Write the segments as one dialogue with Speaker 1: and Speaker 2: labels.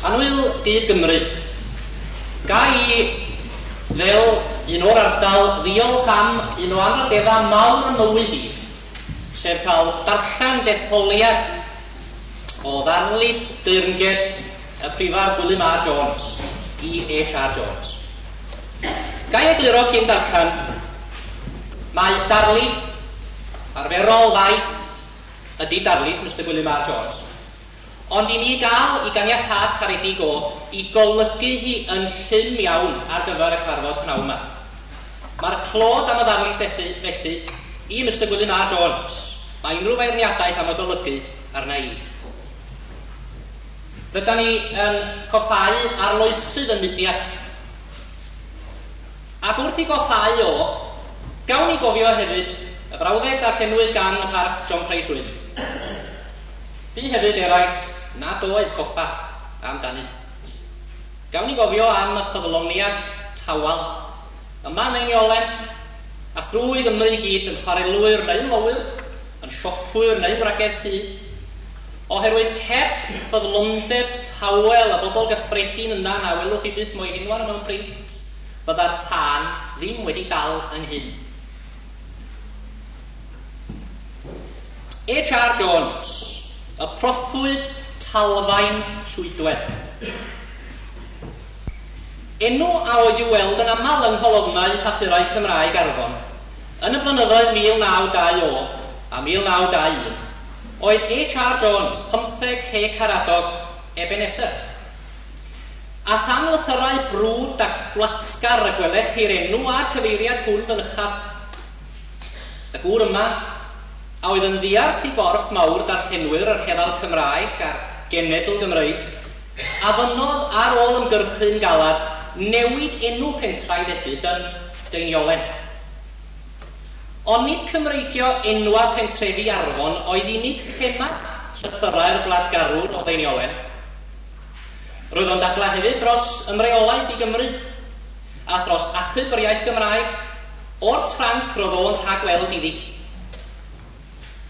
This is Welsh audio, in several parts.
Speaker 1: Annwyl gyd Gymru, ga i fel un o'r ardal ddiolch am un o anrhydeddau mawr yn mywyd i, sef cael darllen detholiad o ddarlith deyrnged y Prifardd Gwilym A Jones, E H R Jones. Ga i egluro cyn darllen, mae darlith arferol faith ydy darlith Mister Gwilym R Jones, ond i mi gael i ganiatâd caredig o i golygu hi yn llym iawn ar gyfer y cyfarfod pnawn yma. Mae'r clod am y ddarlith felly i Mister Gwilym R Jones. Mae unrhyw feirniadaeth am y golygu arna i. Rydan ni yn coffáu arloesydd y mudiad. Ac wrth i goffáu o, gawn ni gofio hefyd y frawddeg darllenwyd gan y Parch John Price Wynne. Bu hefyd eraill nad oedd coffa amdanynt. Gawn ni gofio am y ffyddloniad tawel yma yn Einiolen, a thrwy Gymru i gyd yn chwarelwyr neu'n lowyr, yn siopwyr neu'n wragedd tŷ, oherwydd heb ffyddlondeb tawel a bobl gyffredin yna na welwch chi byth mo'i henwa nhw mewn print, fydda'r tân ddim wedi dal ynghyn. H R Jones, y proffwyd Talfaen Llwydwedd. Enw a oedd i'w weld yn aml yng ngholofnau papurau Cymraeg Arfon yn y blynyddoedd 1920 a 1921 oedd H R Jones, 15 lle Caradog, Ebenezer. A than lythyrau brwd a gwlatgar y gwelech chi'r enw a'r cyfeiriad hwn fynychaf. Y gŵr yma, a oedd yn ddiarth i gorff mawr darllenwyr yr Herald Cymraeg a'r Genedl Gymreig, a fynnodd ar ôl ymgyrchu'n galad newid enw pentrau febyd yn Deiniolen. Ond nid Cymreigio enwa pentrefi Arfon oedd unig thema llythyrau'r gwladgarwr o Ddeiniolen. Roedd o'n dadlau hefyd dros ymreolaeth i Gymru, a thros achub yr iaith Gymraeg o'r tranc roedd o'n rhagweld iddi.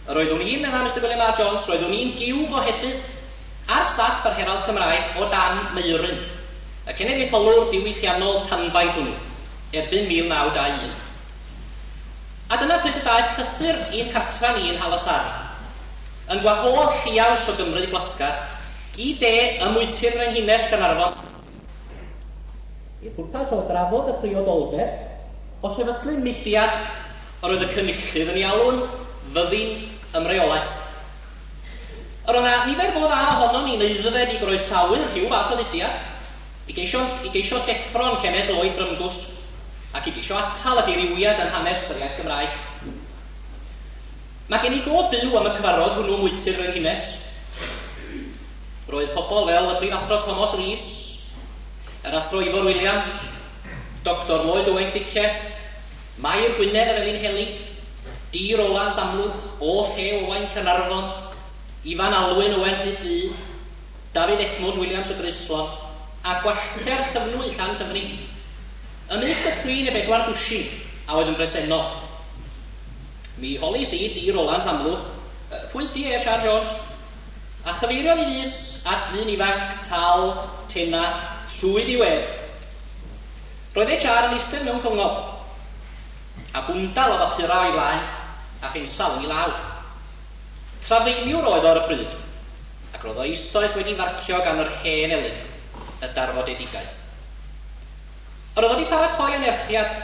Speaker 1: Yr oeddwn i'n, meddai Mister Gwilym R Jones, roeddwn i'n giw gohebydd ar staff yr Herald Cymraeg o dan Meuryn, y cenedlaetholwr diwylliannol tanbaid hwnnw, erbyn 1921. A dyna pryd y daeth llythyr i'n cartra ni yn Nhalasarn, yn gwahodd lliaws o Gymru gwlatgar i de ym mwyty'r Frenhines Gaernarfon, i'r pwrpas o drafod y priodoldeb o sefydlu mudiad yr oedd y cynullydd yn ei alw'n fyddin ymreolaeth. Yr oedd yna nifer go dda ohonon ni'n aeddfed i groesawu rhyw fath o fudiad, i geisio deffro'n cenedl o'i thrymgwsg, ac i geisio atal y dirywiad yn hanes yr iaith Gymraeg. Mae gen i go byw am y cyfarfod hwnnw mwyty'r Frenhines. Roedd pobl fel y prifathro Thomas Rees, yr athro Ifor Williams, Doctor Lloyd Owen Cricieth, Mair Gwynedd y Felinheli, D. Rowlands Amlwch, O Lle Owain Caernarfon, Ifan Alwyn Owen Rhyd Ddu, Dafydd Edmund Williams y Groeslon, a Gwallter Llyfnwy Llanllyfni. Ymysg y 3 neu 4 dwsin a oedd yn bresennol. Mi holis i D. Rowlands Amlwch, pwy di H R Jones? A chyfeiriodd i fys at ddyn ifanc, tal, tena, llwyd i wedd. Roedd H R yn eistedd mewn cyngor, a bwndal o bapurau o'i flaen, a phensal yn ei law. Trafeiliwr oedd o ar y pryd, ac roedd o eisoes wedi farcio gan yr hen elyn, y darfodedigaeth. Yr oedd wedi paratoi anerchiad,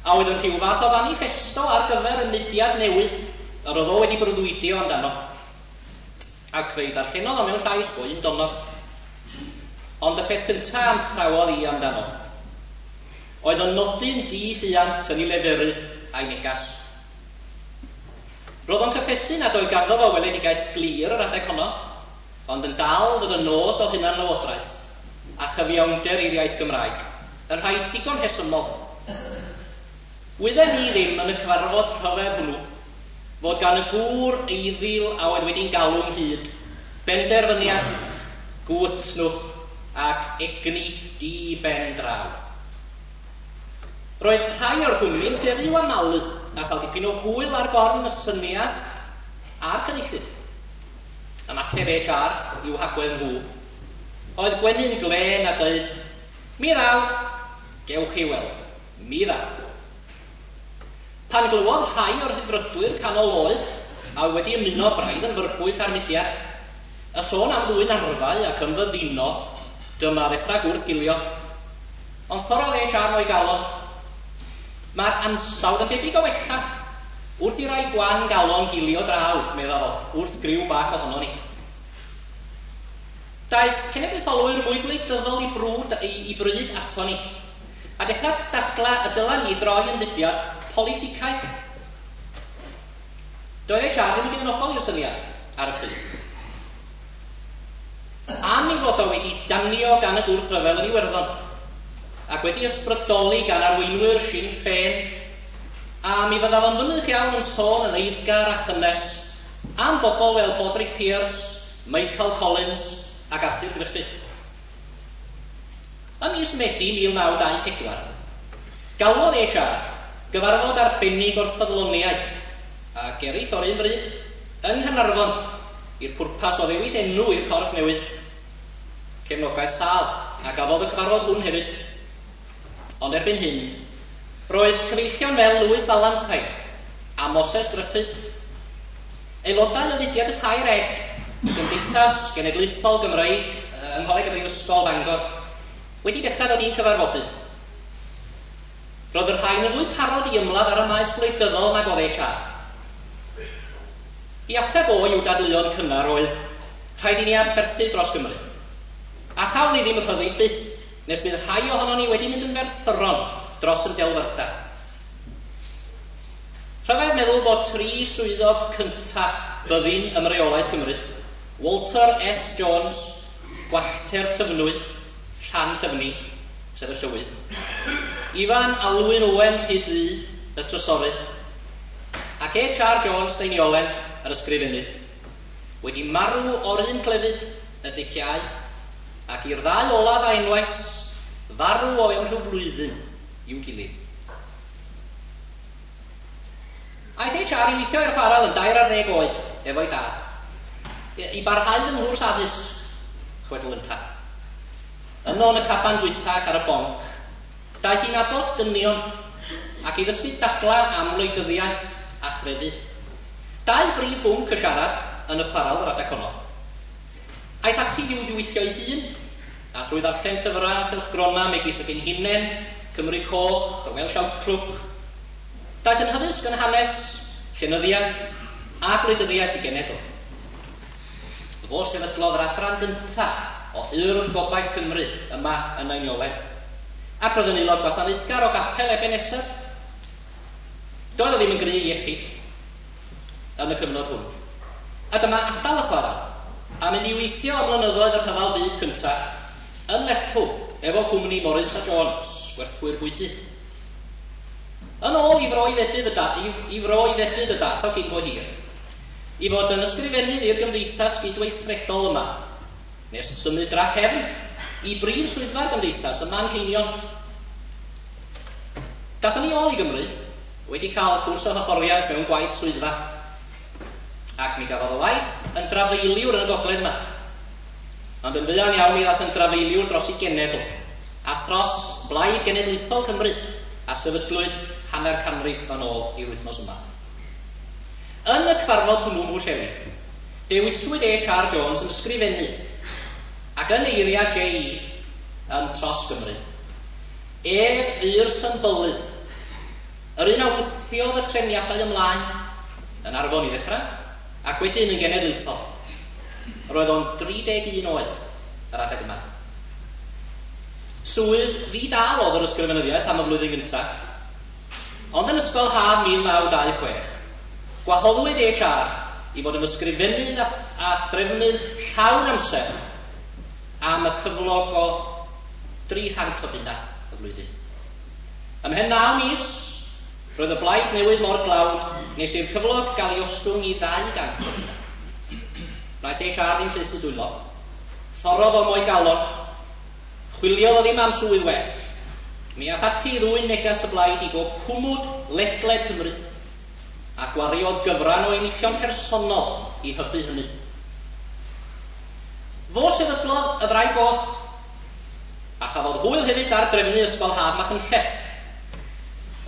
Speaker 1: a oedd yn rhyw fath o fanifesto ar gyfer y mudiad newydd yr oedd o wedi breuddwydio amdano. Ac fe'i darllenodd o mewn llais go un donog. Ond y peth cyntaf am trawodd i amdano oedd yn nodyn di-ffiant yn ei leferydd a'i negas. Roedd o'n cyffesu nad oedd ganddo fo weledigaeth glir yr adeg honno, ond yn dal fod y nod o hunanlywodraeth a chyfiawnder i'r iaith Gymraeg yn rhai digon rhesymol. Wydden ni ddim yn y cyfarfod rhyfedd hwnnw fod gan y gŵr eiddil a oedd wedi'n galw ynghyd benderfyniad, gwytnwch ac egni di-ben draw. Roedd rhai o'r cwmni'n tueddu i'w amalu a chael dipyn o hwyl ar gorn y syniad a'r cynullydd. Ymateb H R i'w hagwedd nhw. oedd gwenu'n glên a dweud, "Mi ddaw, gewch chi weld, mi ddaw." Pan glywodd rhai o'r rhyddfrydwyr canol oed, a oedd wedi ymuno braidd yn fyrbwyll â'r mudiad, y sôn am ddwyn arfau ac ymfyddino, dyma ddechrau gwrthgilio. Ond thorrodd HR o'i galon. "Mae'r ansawdd yn debyg o wella, wrth i rai gwan galon gilio draw," medda fo, "wrth griw bach ohono ni." Daeth cenedlaetholwyr mwy gwleidyddol i brwd i, i bryd ato ni, a dechrau dadla y dyla ni droi yn fudiad politicaidd. Doedd HR ddim yn gefnogol i'r syniad ar y pryd. Am ei fod o wedi danio gan y gwrthryfel yn Iwerddon, ac wedi ysbrydoli gan arweinwyr Sinn Féin, a mi fydda fo'n fynych iawn yn sôn yn eiddgar a chynnes am bobl fel Padraig Pearse, Michael Collins ac Arthur Griffith. Ym mis Medi 1924, galwodd HR gyfarfod arbennig o'r ffyddloniaid ac eraill o'r un bryd yng Nghaernarfon i'r pwrpas o ddewis enw i'r corff newydd. Cefnogaeth sâl a gafodd y cyfarfod hwn hefyd. Ond erbyn hyn, roedd cyfeillion fel Lewis Valentine a Moses Griffith, aelodau o fudiad y Tair Eg, Gymdeithas Genedlaethol Gymreig yng Ngholeg y Brifysgol Bangor, wedi dechrau dod i'n cyfarfodydd. Roedd y rhain yn fwy parod i ymladd ar y maes gwleidyddol nag oedd HR. I ateb o i'w dadleuon cynnar oedd, "Rhaid i ni aberthu dros Gymru. A chawn ni ddim rhyddid byth nes bydd rhai ohonon ni wedi mynd yn ferthyron dros y delfrydau." Rhyfedd meddwl bod tri swyddog cynta byddin ymreolaeth Cymru, Walter S. Jones, Gwallter Llyfnwy, Llan Llyfni, sef y llywydd, Ifan Alwyn Owen Rhyd-ddu, y trysorydd, ac H.R. Jones Deiniolen, yr ysgrifennydd, wedi marw o'r un clefyd, y diciâu, ac i'r ddau olaf a enwais farw o fewn rhyw flwyddyn i'w gilydd. Aeth HR i weithio i'r chwarel yn 13 oed efo'i dad, i barhau fy nghwrs addysg, chwedl ynta. Yno yn y caban bwyta ac ar y bonc, daeth i nabod dynion ac i ddysgu dadla am wleidyddiaeth a chrefydd. Dau brif bwnc y siarad yn y chwarel yr adeg honno. Aeth ati i'w ddiweithio ei hun, a thrwy ddarllen llyfrau a chylchgronau megis y Genhinen, Cymru Coch, y Welsh Outlook, daeth yn hyddysg yn hanes, llenyddiaeth a gwleidyddiaeth i genedl. Fo sefydlodd yr adran gyntaf o Urdd Gobaith Cymru yma yn Einiolen, ac roedd yn aelod gwasanaethgar o gapel Ebenezer. Doedd o ddim yn gry iechyd yn y cyfnod hwn. A dyma adael y chwarel a mynd i weithio am blynyddoedd y rhyfel byd cyntaf yn Lerpwl efo cwmni Morris a Jones, gwerthwyr bwydydd. Yn ôl i fro i fedydd y da, i, i fro i fedydd y dath o cyn bo hir, i fod yn ysgrifennydd i'r gymdeithas gydweithredol yma, nes symud drachefn i brif swyddfa'r gymdeithas ym Manceinion. Dathon ni ôl i Gymru, wedi cael cwrs o hyfforddiant mewn gwaith swyddfa, ac mi gafodd o waith yn drafeiliwr yn y gogledd yma. Ond yn fuan iawn mi ddath yn drafeiliwr dros ei genedl, a thros Blaid Genedlaethol Cymru, a sefydlwyd hanner canrif yn ôl i'r wythnos yma. Yn y cyfarfod hwnnw Mhwllheli, dewiswyd H.R. Jones yn ysgrifennydd, ac yn eiriau J.E. yn tros Gymru. Ef fu'r symbylydd, yr un a wthiodd y trefniadau ymlaen, yn Arfon i ddechrau, ac wedyn yn genedlaethol. Roedd o'n 31 oed yr adeg yma. Swydd ddi-dâl oedd yr ysgrifenyddiaeth am y flwyddyn gyntaf, ond yn ysgol haf 1926, gwahoddwyd HR i fod yn ysgrifennydd a, a threfnydd llawn amser am y cyflog o 300 o bunna y flwyddyn. Ymhen 9 mis, roedd y blaid newydd mor dlawd nes i'r cyflog gael ei ostwng i 200 o bunna. Wnaeth HR ddim llusu dwylo. Thorrodd o mo'i galon. Chwiliodd o ddim am swydd well. Mi ath ati i ddwyn neges y blaid i bob cwmwd ledled Cymru, a gwariodd gyfran o enillion personol i hybu hynny. Fo sefydlodd y Ddraig Goch, a chafodd hwyl hefyd ar drefnu Ysgol Haf Machynlleth.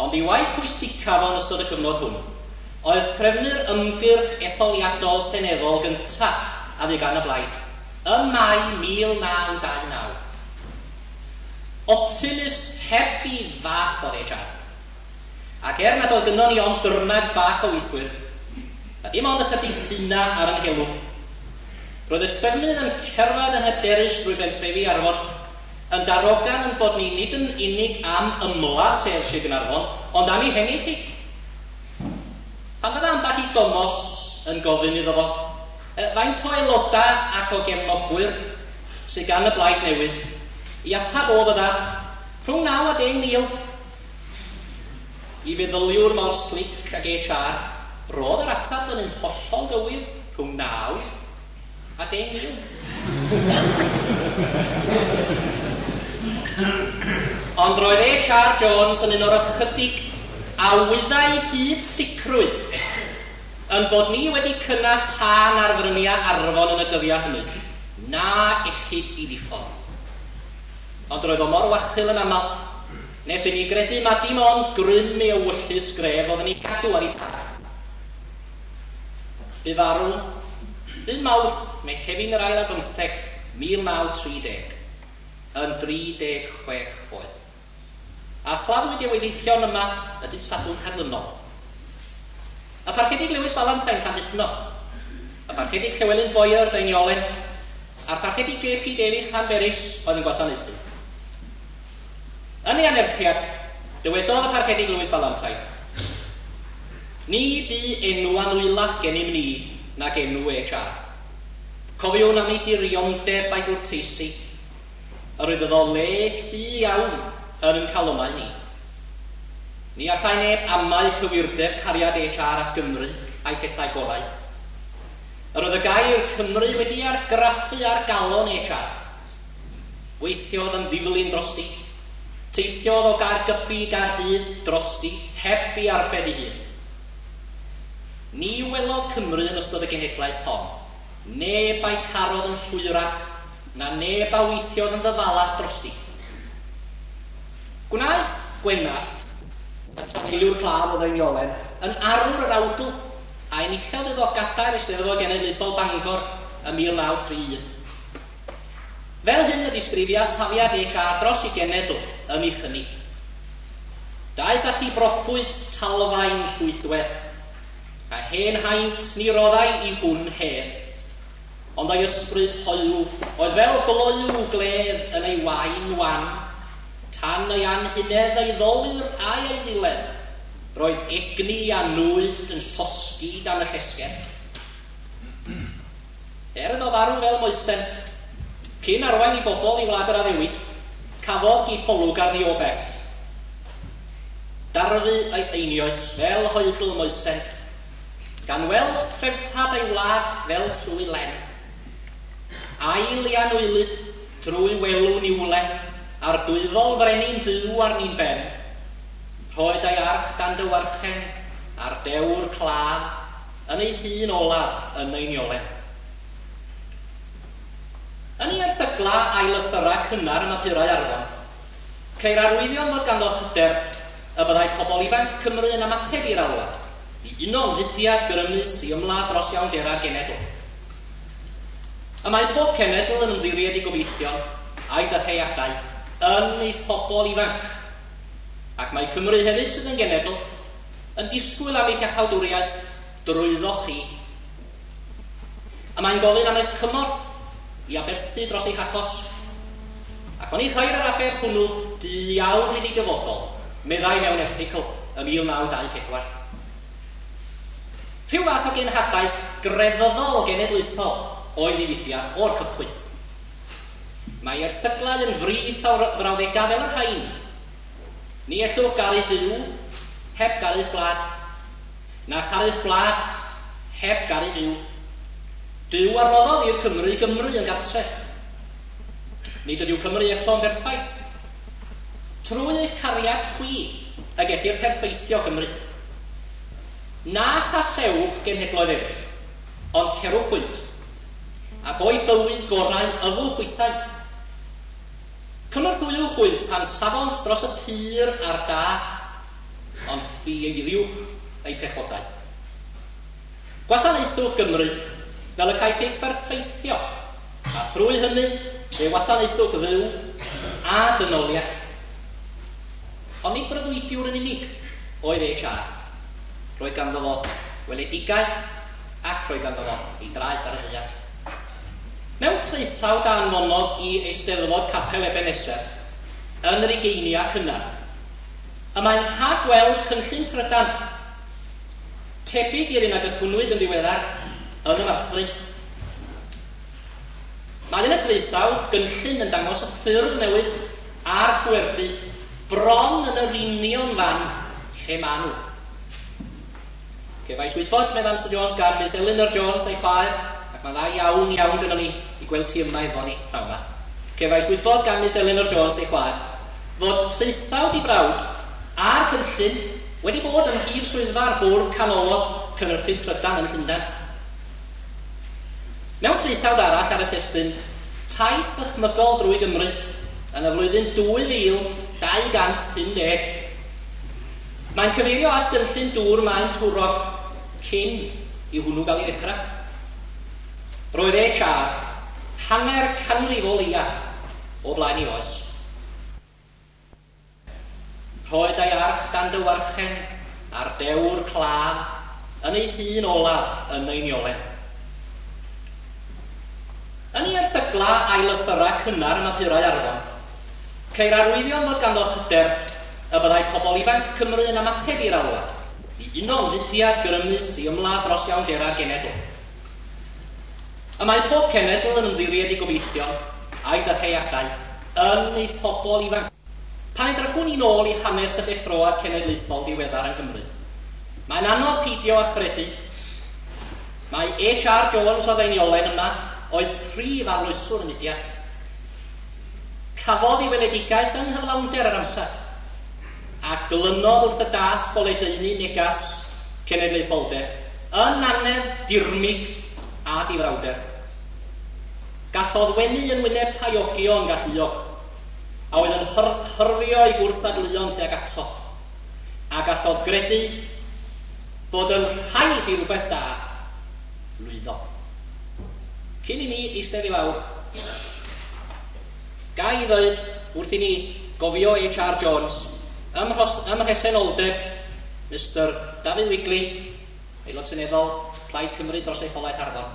Speaker 1: Ond ei waith pwysicaf o'n ystod y cyfnod hwn oedd trefnu'r ymgyrch etholiadol seneddol gyntaf a fu gan y blaid, ym Mai 1929. Optimist heb i fath oedd HR. Ac er nad oedd gynnon ni ond dyrnad bach o weithwyr, a dim ond ychydig bunna ar yn helw, roedd y trefnydd yn cerdded yn hyderus drwy bentrefi Arfon, yn darogan yn bod ni nid yn unig am ymladd sedd Sir Gaernarfon, ond am ei hennill hi. Pan fydda ambell i Domos yn gofyn iddo fo, faint o aelodau ac o gefnogwyr sydd gan y blaid newydd, i atab o fydda rhwng 9 a 10,000. I feddyliwr mor slic ag HR, roedd yr atab yn un hollol gywir, rhwng 9 a 10,000. Ond roedd HR Jones yn un o'r ychydig a wyddai hyd sicrwydd yn bod ni wedi cynnau tân ar fryniau Arfon yn y dyddiau hynny, na ellid i ddiffodd. Ond roedd o mor wachul yn aml, nes i ni gredu ma dim ond grym ei ewyllys gref oedd yn ei gadw ar ei pha. Bu farw dydd Mawrth, Mehefin yr ail ar bymtheg, 1930, yn 36 oed. A chladdwyd ei weddillion yma y dydd Sadwrn canlynol. Y Parchedig Lewis Valentine Llandudno, y Parchedig Llywelyn Boyer Deiniolen, a'r Parchedig J.P. Davies Llanberis oedd yn gwasanaethu. Yn ei anerchiad, dywedodd y Parchedig Lewis Valentine, "Ni bu enw anwylach gennym ni nag enw HR. Cofiwn am ei diriondeb a'i gwrteisi, yr oedd iddo le cu iawn yn ein calonnau ni. Ni allai neb amau cywirdeb cariad HR at Gymru a'i phethau gorau. Yr oedd y gair Cymru wedi argraffu ar galon HR. Gweithiodd yn ddiflin drosti. Teithiodd o Gaergybi i Gaerdydd drosti, heb i arbed ei hun. Ni welodd Cymru yn ystod y genhedlaeth hon. Neb a'i carodd yn llwyrach, na neb a weithiodd yn ddyfalach drosti. Gwnaeth Gwenallt, y trafaeliwr claf o Ddeiniolen, yn arwr yr awdl a enillodd iddo gadair Eisteddfod Genedlaethol Bangor ym 1931. Fel hyn y disgrifia safiad HR dros ei genedl yn ei chynni. Daeth at ei broffwyd talfaen llwydwedd, a hen haint ni roddai i hwn hedd, ond ei ysbryd hoyw oedd fel gloyw gledd yn ei wain wan, tan ei anhunedd ei ddolur a'i ei ddiledd, roedd egni a nwyd yn llosgi dan y llesger. Er iddo farw fel Moesen, cyn arwain i bobl i wlad yr addewid, cafodd gipolwg arni o bell. Darfu ei einioes fel hoedl Moesen, gan weld treftad ei wlad fel trwy len. Ail i anwylyd drwy welw niwlen, a'r dwyfol frenin byw arni'n ben, rhoed ei arch dan dywarchen, a'r dewr claf, yn ei hun olaf yn ei niolen. Yn ei erthygla a'i lythyra cynnar ym mapurau Arfon, ceir arwyddion fod ganddo hyder y byddai pobl ifanc Cymru yn ymateb i'r alwad, i uno'n fudiad grymus i ymladd dros iawndera'r genedl. Y mae pob cenedl yn ymddiried i gobeithion a'i dyheadau yn ei phobl ifanc, ac mae Cymru hefyd sydd yn genedl yn disgwyl am eich iachawdwriaeth drwyddo chi. A mae'n gofyn am eich cymorth i aberthu dros eich achos, ac oni chair yr aberth hwnnw du iawn iddi dyfodol, meddai mewn erthygl ym 1924. Rhyw fath o genhadaeth grefyddol genedlaethol oedd ei fudiad o'r cychwyn. Mae erthyglau yn frith o frawddegau fel y rhain. Ni ellwch garu Duw heb garu'ch gwlad, na charu'ch gwlad heb garu Duw. Duw a roddodd i'r Cymru Gymru yn gartref. Nid ydyw Cymru eto'n berffaith. Trwy eich cariad chwi y gellir perffeithio Cymru. Na chasewch genhedloedd eraill, ond cerwch hwynt. ac o'i bywyd gorau yfwch hwythau. Cynorthwywch hwynt pan safont dros y pur a'r da, ond ffieiddiwch eu pechodau. Gwasanaethwch Gymru fel y caiff ei pherffeithio, a thrwy hynny fe wasanaethwch Dduw a dynoliaeth. Ond nid breuddwydiwr yn unig oedd H.R. Roedd ganddo fo weledigaeth ac roedd ganddo fo ei draed ar y ddaear. Mewn traethawd a anfonodd i Eisteddfod Capel Ebeneser yn yr ugeiniau cynnar, y mae'n rhagweld cynllun trydan tebyg i'r un a gychwynnwyd yn ddiweddar yn y Marthlyn. Mae yn y traethawd gynllun yn dangos y ffyrdd newydd a'r pwerdy bron yn yr union fan lle maen nhw. Cefais wybod, meddai Mr Jones, gan Miss Elinor Jones a'i chwaer, ac mae'n dda iawn iawn gynnon ni i gweld ti yma efo ni pnawn 'ma. Cefais wybod gan Miss Elinor Jones ei chwaer fod traethawd ei brawd a'r cynllun wedi bod ym mhrif swyddfa'r Bwrdd Canolog Cynhyrchu Trydan yn Llundain. Mewn traethawd arall ar y testun Taith ddychmygol drwy Gymru yn y flwyddyn 2250, mae'n cyfeirio at gynllun dŵr Maen Twrog cyn i hwnnw gael ei ddechrau. Roedd HR hanner canrif o leia o flaen ei oes. Rhoed ei arch dan dywarchen a'r dewr claf yn ei hun olaf yn Einiolen. Yn ei erthyglau a'i lythyrau cynnar ym mhapurau Arfon, ceir arwyddion fod ganddo hyder y byddai pobl ifanc Cymru yn ymateb i'r alwad i uno'n fudiad grymus i ymladd dros iawnderau'r genedl. Y mae pob cenedl yn ymddiried ei gobeithion a'i dyheadau yn ei phobl ifanc. Pan edrychwn ni'n ôl i hanes y deffroad cenedlaethol diweddar yng Nghymru, mae'n anodd peidio â chredu mai HR Jones o Ddeiniolen yma oedd prif arloeswr y mudiad. Cafodd ei weledigaeth yng nghyflawnder yr amser, a glynodd wrth y dasg o ledaenu negas cenedlaetholdeb yn annedd dirmyg a difrawder. Gallodd wenu yn wyneb taeogion galluog, a oedd yn hyrddio ei gwrthddadleuon tuag ato, a gallodd gredu bod yn rhaid i rywbeth da lwyddo. Cyn i mi eistedd i lawr, ga i ddweud wrth i ni gofio HR Jones ym mhresenoldeb Mister Dafydd Wigley, Aelod Seneddol Plaid Cymru dros etholaeth Arfon,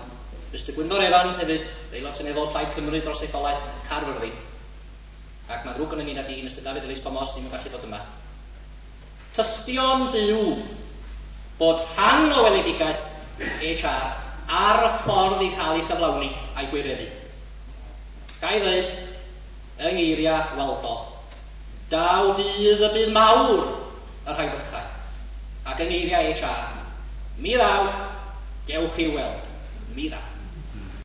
Speaker 1: Mister Gwynfor Evans hefyd, Aelod Seneddol Plaid Cymru dros etholaeth Caerfyrddin, ac mae'n ddrwg gynnon ni nad ydi Mister Dafydd Elis Thomas ddim yn gallu bod yma. Tystion byw bod rhan o weledigaeth HR ar y ffordd i cael ei chyflawni a'i gwireddu. Ga i ddweud, yng ngeiriau Waldo, daw dydd y bydd mawr y rhai bychain, ac yng ngeiriau HR, mi ddaw, dewch i'w weld, mi ddaw.